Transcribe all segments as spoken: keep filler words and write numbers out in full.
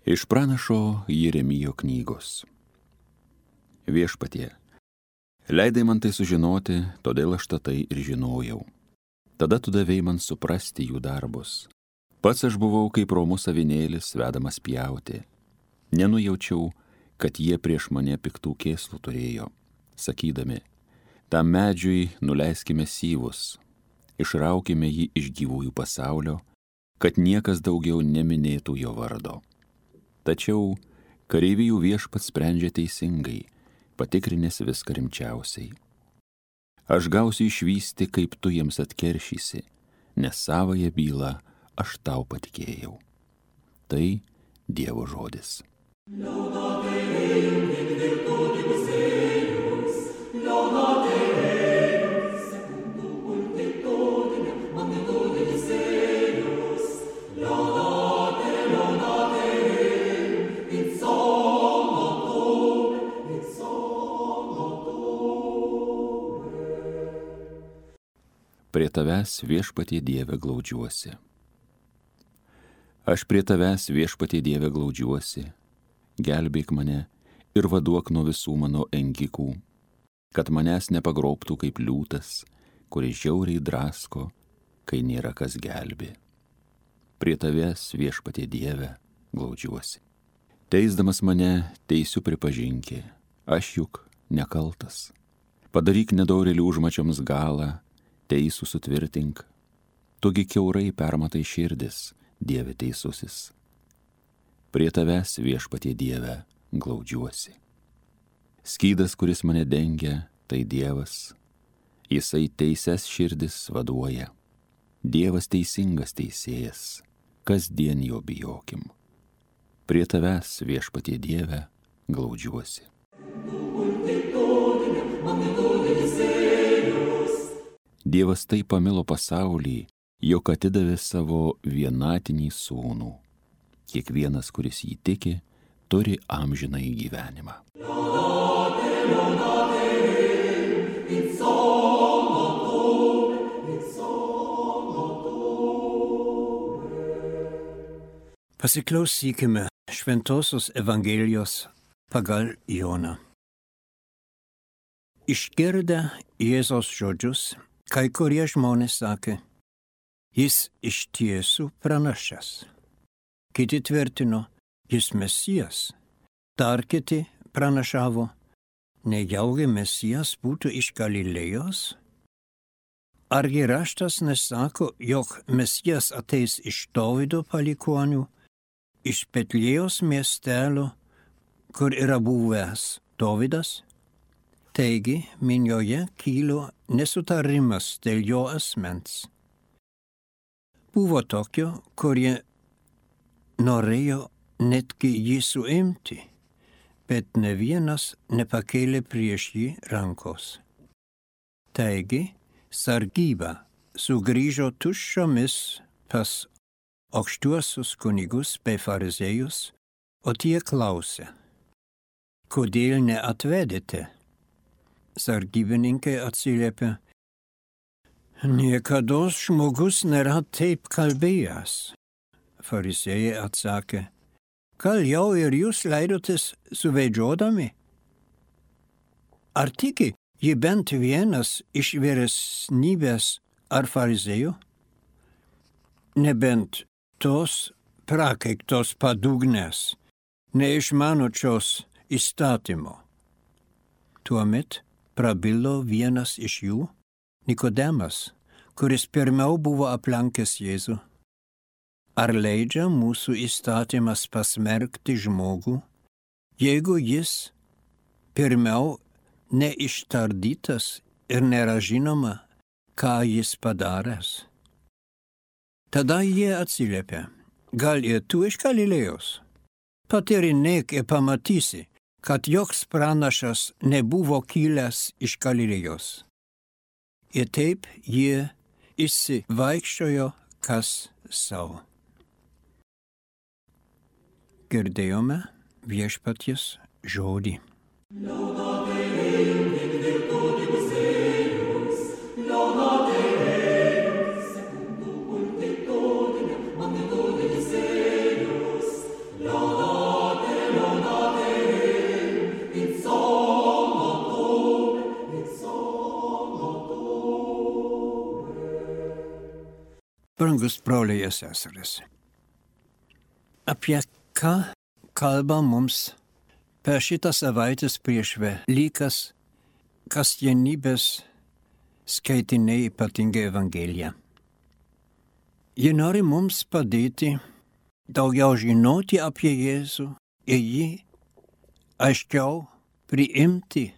Iš pranašo Jeremijo knygos. Viešpatie, leidai man tai sužinoti, todėl aš tai ir žinojau. Tada tu davei man suprasti jų darbus. Pats aš buvau kaip romus avinėlis, vedamas pjauti. Nenujaučiau, kad jie prieš mane piktų kėslų turėjo, sakydami, tam medžiui nuleiskime syvus, išraukime jį iš gyvųjų pasaulio, kad niekas daugiau neminėtų jo vardo. Tačiau kareivijų viešpats sprendžia teisingai, patikrinęs viską rimčiausiai. Aš gausiu išvysti, kaip tu jiems atkeršysi, nes savąją bylą aš tau patikėjau. Tai Dievo žodis. Prie tavęs, viešpatie Dieve, glaudžiuosi. Aš prie tavęs, viešpatie Dieve, glaudžiuosi, gelbėk mane ir vaduok nuo visų mano engikų, kad manęs nepagrobtų kaip liūtas, kuris žiauriai drasko, kai nėra kas gelbė. Prie tavęs, viešpatie Dieve, glaudžiuosi. Teisdamas mane, teisiu pripažinki, aš juk nekaltas. Padaryk nedorėlių užmačioms galą, teisų sutvirtink. Tugi kiaurai permatai širdis, Dieve teisusis. Prie tavęs, viešpatie Dieve, glaudžiuosi. Skydas, kuris mane dengia, tai Dievas. Jisai teises širdis vaduoja. Dievas teisingas teisėjas, kasdien jo bijokim. Prie tavęs, viešpatie Dieve, glaudžiuosi. Dievas taip pamilo pasaulį, jog atidavė savo vienatinį sūnų. Kiekvienas, kuris jį tiki, turi amžinąjį gyvenimą. Pasiklausykime Šventosios Evangelijos pagal Joną. Išgirdę Jėzaus žodžius, kai kurie žmonės sakė, jis iš tiesų pranašas. Kiti tvirtino, jis Mesijas. Dar kiti pranašavo, nejaugi Mesijas būtų iš Galilėjos? Argi raštas nesako, jog Mesijas ateis iš Dovydo palikuonių, iš Betlėjos miestelio, kur yra buvęs Dovydas? Taigi, minioje kilo nesutarimas dėl jo asmens. Buvo tokio, kurie norėjo netgi jį suimti, bet ne vienas nepakėlė prieš jį rankos. Taigi, sargyba sugrįžo tuščiomis pas aukštuosius kunigus bei fariziejus, o tie klausė, kodėl neatvedėte? Sargybininkai atsiliepė, niekados žmogus nėra taip kalbėjęs. Fariziejai atsakė, gal jau ir jūs leidotės suvedžiodami? Ar tiki ji bent vienas iš vyresnybės ar fariziejų? Nebent tos prakeiktos padugnės, neišmanočios įstatymo. Tuomet prabilo vienas iš jų, Nikodemas, kuris pirmiau buvo aplankęs Jėzų. Ar leidžia mūsų įstatymas pasmerkti žmogų, jeigu jis pirmiau neištardytas ir nėra žinoma, ką jis padaręs? Tada jie atsiliepė, gal ir tu iš Galilėjos? Patyrinėk ir pamatysi, kad joks pranašas nebuvo kilęs iš Galilėjos. Ir taip jie išsivaikščiojo kas savo. Girdėjome viešpaties žodį. Lord. Brangus broliai ir seserys. Apie ką kalba mums per šitą savaitės prieš Velykas kasdienybės skaitiniai, ypatingai Evangelija. Ji nori mums padėti daugiau žinoti apie Jėzų ir jį aiškiau priimti,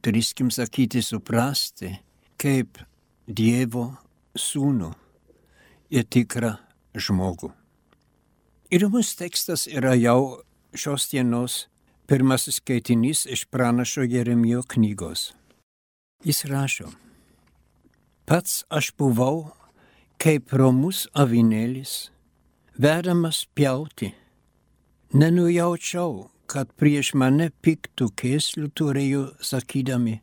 drįskim sakyti, suprasti, kaip Dievo sūnų ir tikrą žmogų. Įdomus tekstas yra jau šios dienos pirmasis skaitinys iš pranašo Jeremijo knygos. Jis rašo: Pats aš buvau kaip romus avinėlis, vedamas pjauti. Nenujaučiau, kad prieš mane piktų kėslių turėjo sakydami: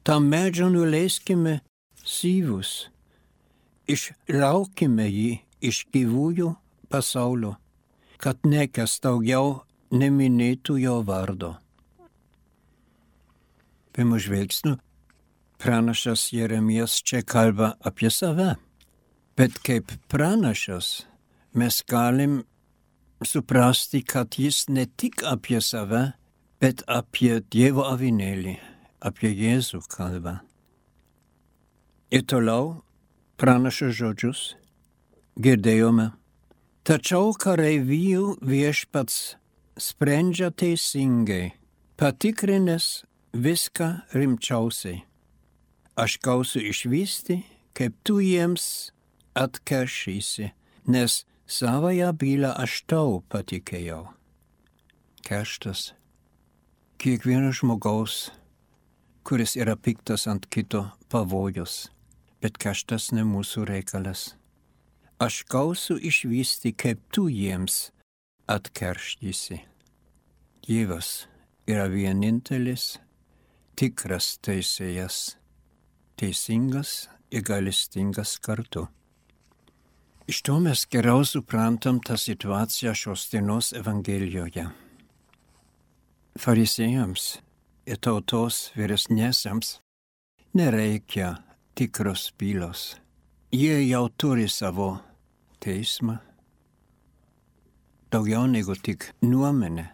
tam medžio nuleiskime syvus, išraukime jį iš gyvųjų pasaulio, kad niekas daugiau neminėtų jo vardo. Pirmu žvilgsniu pranašas Jeremijas čia kalba apie save, bet kaip pranašas mes galim suprasti, kad jis ne tik apie save, bet apie Dievo avinėlį, apie Jėzų kalba. Ir toliau pranašo žodžius girdėjome: tačiau kareivijų viešpats sprendžia teisingai, patikrinęs viską rimčiausiai. Aš gausiu išvysti, kaip tu jiems atkeršysi, nes savąją bylą aš tau patikėjau. Kerštas kiekvieno žmogaus, kuris yra piktas ant kito, pavojus, bet kerštas ne mūsų reikalas. Aš gausiu išvysti, kaip tu jiems atkeršysi. Dievas yra vienintelis tikras teisėjas, teisingas ir gailestingas kartu. Iš to mes geriau suprantam tą situaciją šios dienos Evangelijoje. Farizėjams ir tautos vyresniesiems nereikia tikros bylos. Jie jau turi savo teismą, daugiau negu tik nuomonę.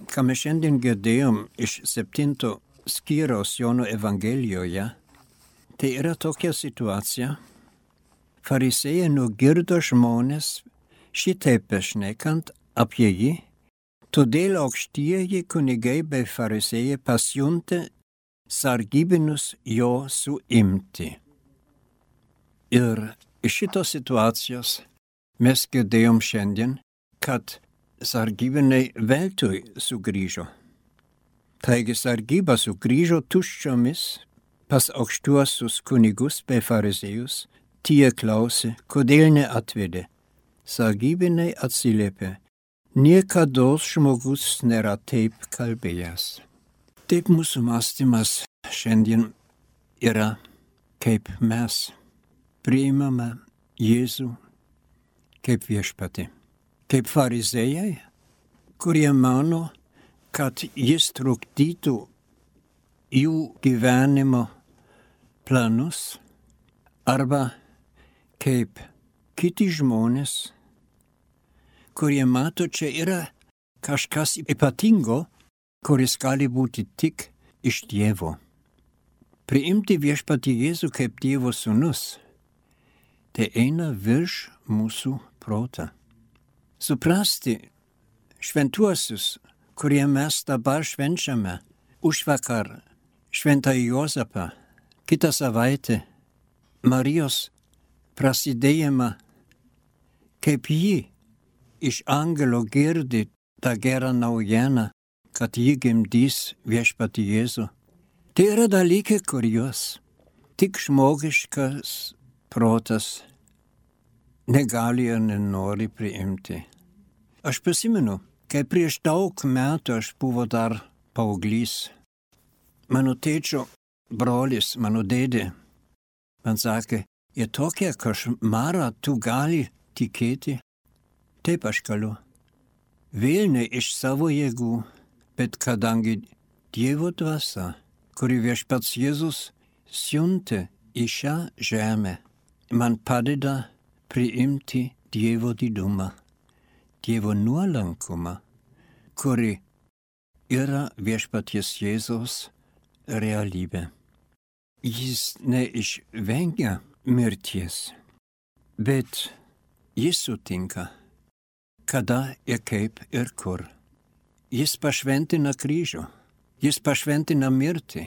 Ką mes šiandien girdėjom iš septinto skyriaus Jono Evangelijoje, tai yra tokia situacija. Farizėjai nugirdo žmonės šitaip šnekant apie jį, todėl aukštieji kunigai bei farizėjai pasiuntė sargybinius jo suimti. Ir iš šitos situacijos mes girdėjom šiandien, kad sargybiniai veltui sugrįžo. Taigi sargyba sugrįžo tuščiomis pas aukštuosius kunigus bei farizėjus. Tie klausė, kodėl neatvedė. Sargybiniai atsiliepė: niekados žmogus nėra taip kalbėjęs. Taip mūsų mąstymas šiandien yra, kaip mes priimame Jėzų kaip viešpatį. Kaip farizėjai, kurie mano, kad jis trukdytų jų gyvenimo planus, arba kaip kiti žmonės, kurie mato, čia yra kažkas ypatingo, kuris gali būti tik iš Dievo. Priimti viešpatį Jėzų kaip Dievo sūnus, tai eina virš mūsų protą. Suprasti šventuosius, kurie mes dabar švenčiame, užvakar šventąjį Juozapą, kitą savaitę Marijos prasidėjimą, kaip ji iš angelo girdi tą gerą naujieną, kad ji gimdys viešpatį Jėzų. Tai yra dalykai, kuriuos tik žmogiškas protas negali ir nenori priimti. Aš prisimenu, kai prieš daug metų aš buvau dar paauglys. Mano tėčio brolis, mano dėdė, man sakė: ir tokia košmarą tu gali tikėti? Taip aš galiu. Vėl ne iš savo jėgų, bet kadangi Dievo dvasia, kuri viešpats Jėzus siuntė į šią žemę, man padeda priimti Dievo didumą, Dievo nuolankumą, kuri yra viešpaties Jėzaus realybė. Jis neišvengia mirties, bet jis sutinka, kada ir kaip ir kur. Jis pašventina kryžių, jis pašventina mirtį,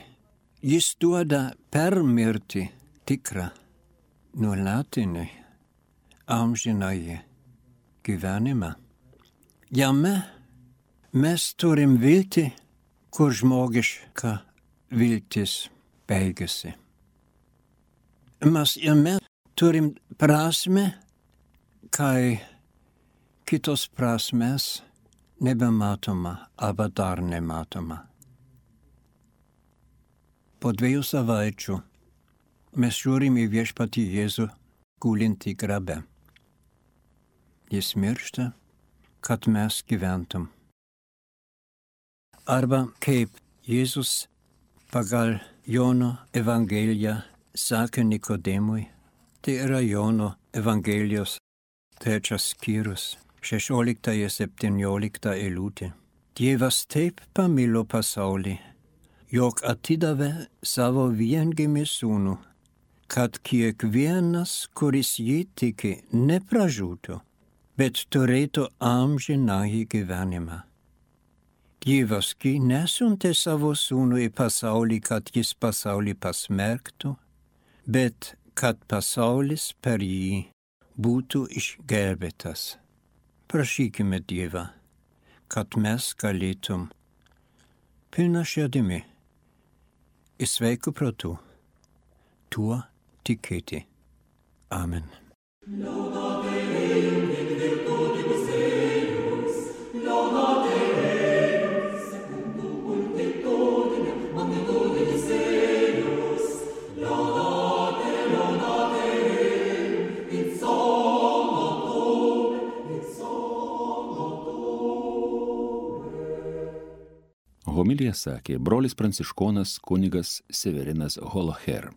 jis duoda per mirtį tikrą, nuolatinį, amžinąjį gyvenimą. Jame mes turim viltį, kur žmogiška viltis baigėsi. Mes jame turim prasmę, kai kitos prasmės nebematoma arba dar nematoma. Po dviejų savaičių mes žiūrim į viešpatį Jėzų gulintį grabe. Jis miršta, kad mes gyventum. Arba kaip Jėzus pagal Jono Evangeliją sakė Nikodemui, tai yra Jono Evangelijos trečias skyrius, šešiolikta ir septyniolikta eilutė. Dievas taip pamilo pasaulį, jog atidavė savo viengimį sūnų, kad kiekvienas, kuris jį tiki, nepražūtų, bet turėtų amžinąjį gyvenimą. Dievas gi nesiuntė savo sūnų į pasaulį, kad jis pasaulį pasmerktų, bet kad pasaulis per jį būtų išgelbėtas. Prašykime Dievą, kad mes galėtum pilna širdimi ir sveiku protu tuo tikėti. Amen. Homiliją sakė brolis pranciškonas kunigas Severinas Holoher.